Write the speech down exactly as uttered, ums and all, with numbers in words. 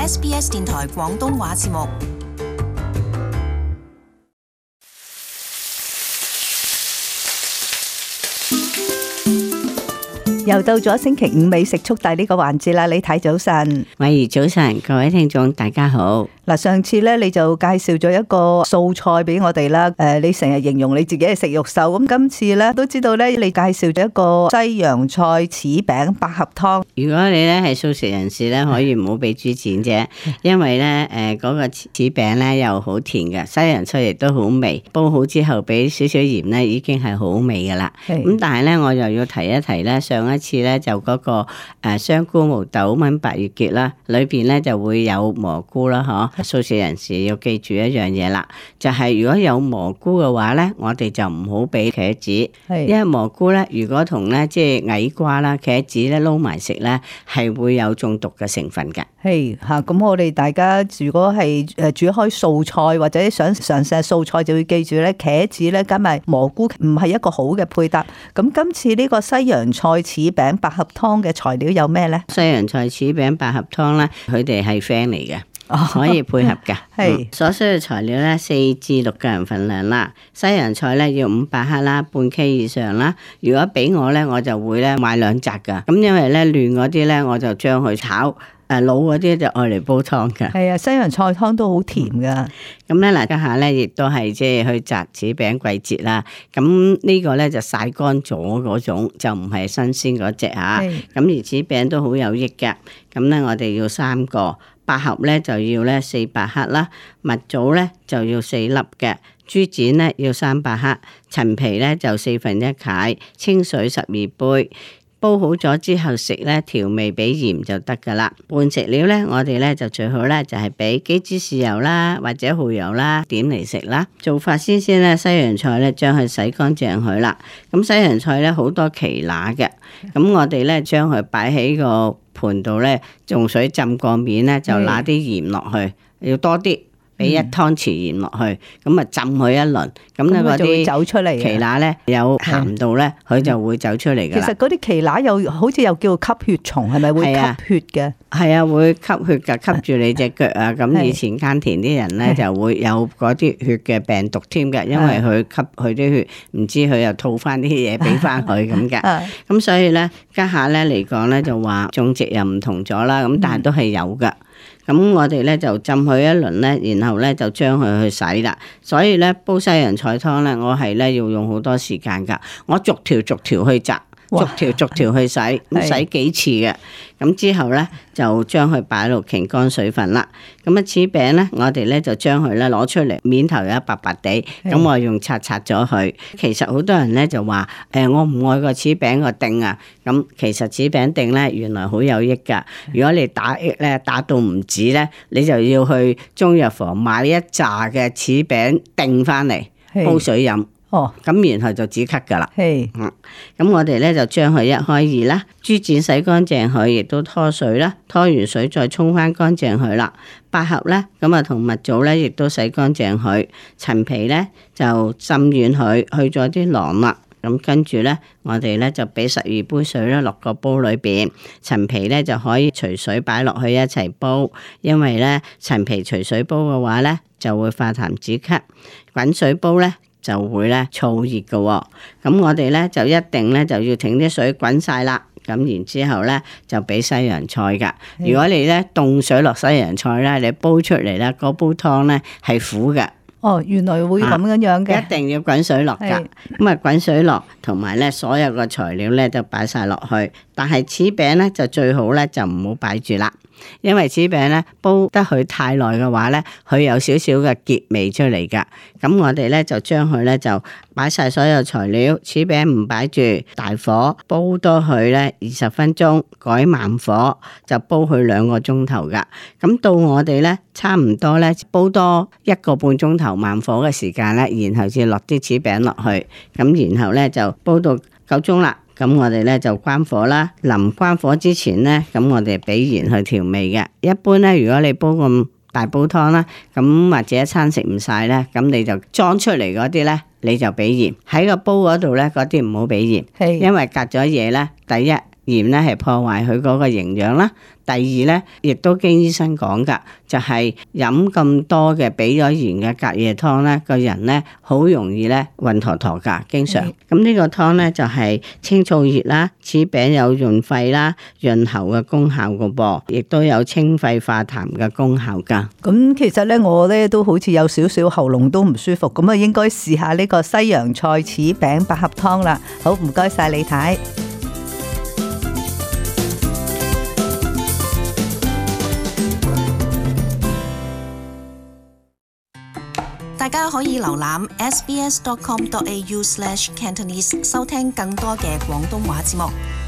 S B S 電台廣東話節目。又到咗星期五美食速遞呢個環節啦，李太早晨。慧兒早晨，各位聽眾大家好。嗱，上次咧你就介紹咗一個素菜俾我哋啦，誒，你成日形容你自己係食肉獸，咁今次咧都知道咧，你介紹咗一個西洋菜柿餅百合湯。如果你咧係素食人士咧，可以唔好俾豬展啫，因為咧誒嗰個柿餅咧又好甜嘅，西洋菜亦都好味，煲好之後俾少少鹽咧，已經係好味噶啦。咁但係咧，我又要提一提咧，上一次咧就嗰個誒香菇毛豆炆白月結啦，裏邊咧就會有蘑菇啦，嗬。素食人士要記住一樣嘢啦，就係、是、如果有蘑菇嘅話咧，我哋就唔好俾茄子，因為蘑菇咧如果同咧即係矮瓜啦、茄子咧撈埋食咧，係會有中毒嘅成分嘅。係吓，咁我哋大家如果係誒煮開素菜或者想嘗試素菜，就要記住咧，茄子咧加埋蘑菇唔係一個好嘅配搭。咁今次呢個西洋菜柿餅百合湯嘅材料有咩咧？西洋菜柿餅百合湯咧，佢哋係 friend 嚟嘅。可以配合嘅，係、嗯、所需嘅材料咧，四至六個人份量啦。西洋菜咧要五百克啦，半 K 以上啦。如果俾我咧，我就會咧買兩紮噶。咁因為咧嫩嗰啲咧，我就將佢炒；誒老嗰啲就愛嚟煲湯噶。係啊，西洋菜湯都好甜噶。咁咧嗱，家下咧亦都係即係去摘柿餅季節啦。咁呢個咧就曬乾咗嗰種，就唔係新鮮嗰隻嚇。咁而柿餅都好有益嘅。咁咧我哋要三個。百合咧就要咧四百克啦，蜜棗咧就要四粒嘅，豬展咧要三百克，陳皮咧就四分一解，清水十二杯。煲好咗之後食咧，調味俾鹽就得噶啦。拌食料咧，我哋咧就最好咧就係俾幾支豉油啦，或者蠔油啦，點嚟食啦。做法先先咧，西洋菜咧將佢洗乾淨佢啦。咁西洋菜咧好多奇乸嘅，咁我哋咧將佢擺喺個盤度咧，用水浸過面咧，就揦啲鹽落去，要多啲。俾一湯匙鹽落去，咁啊浸佢一輪，咁咧嗰啲走出嚟奇乸咧有鹹度咧，佢就會走出嚟噶啦。其實嗰啲奇乸又好似又叫吸血蟲，係咪會吸血嘅？係啊，會吸血噶，吸住你隻腳啊！咁以前耕田啲人咧就會有嗰啲血嘅病毒添嘅，因為佢吸佢啲血，唔知佢又吐翻啲嘢俾翻佢咁嘅。咁所以咧家下咧嚟講咧就話種植又唔同咗啦，咁但係都係有噶。咁我哋咧就浸佢一輪咧，然後咧就將佢去洗啦。所以咧煲西洋菜湯咧，我係咧要用好多時間噶。我逐條逐條去摘，逐條逐條去洗，咁洗幾次嘅。咁之後咧就將佢擺落擎乾水分啦。咁啊柿餅咧，我哋咧就將佢咧攞出嚟，面頭有白白地，咁我用刷刷咗佢。其實好多人咧就話誒、欸，我唔愛個柿餅個丁啊。咁其實柿餅丁咧原來好有益噶。如果你打益咧打到唔止咧，你就要去中藥房買一紮嘅柿餅丁翻嚟煲水飲。哦，咁然後就止咳噶啦。係，嗯，咁我哋咧就將佢一開二啦，豬展洗乾淨佢，亦都拖水啦，拖完水再沖翻乾淨佢啦。百合咧，咁啊同蜜棗咧，亦都洗乾淨佢。陳皮咧就浸軟佢，去咗啲囊啦。咁跟住咧，我哋咧就俾十二杯水咧落個煲裏邊，陳皮咧就可以隨水擺落去一齊煲，因為咧陳皮隨水煲嘅話咧就會化痰止咳，滾水煲咧就會咧燥熱嘅喎。咁我哋咧就一定咧就要停啲水滾晒啦。咁然之後咧就俾西洋菜噶。如果你咧凍水落西洋菜咧，你煲出嚟咧嗰煲湯咧係苦嘅。哦，原來會咁樣樣嘅、啊，一定要滾水落噶。咁啊滾水落，同埋咧所有嘅材料咧就擺晒落去。但係柿餅咧就最好咧就唔好擺住啦，因為柿餅咧煲得佢太耐嘅話咧，佢有少少嘅澀味出嚟噶。咁我哋咧就將佢咧就擺晒所有材料，柿餅唔擺住，大火煲多佢咧二十分鐘，改慢火就煲佢兩個鐘頭噶。咁到我哋咧差唔多咧煲多一個半鐘頭慢火嘅時間咧，然後至落啲柿餅落去，咁然後咧就煲到夠鐘啦。咁我哋咧就關火啦。臨關火之前咧，咁我哋俾鹽去調味嘅。一般咧，如果你煲咁大煲湯啦，咁或者一餐食唔晒咧，咁你就裝出嚟嗰啲咧，你就俾鹽喺個煲嗰度咧，嗰啲唔好俾鹽，因為隔咗嘢咧，第一鹽咧係破壞佢嗰個營養啦。第二咧，亦都經醫生講㗎，就係飲咁多嘅俾咗鹽嘅隔夜湯咧，個人咧好容易咧暈陀陀㗎，經常。咁呢個湯咧就係清燥熱啦，此餅有潤肺啦、潤喉嘅功效㗎噃，亦都有清肺化痰嘅功效㗎。咁其實咧，我咧都好似有少少喉嚨都唔舒服，咁啊應該試下呢個西洋菜柿餅百合湯啦。好，唔該晒李太。大家可以瀏覽 s b s dot com dot a u slash cantonese 收聽更多嘅廣東話節目。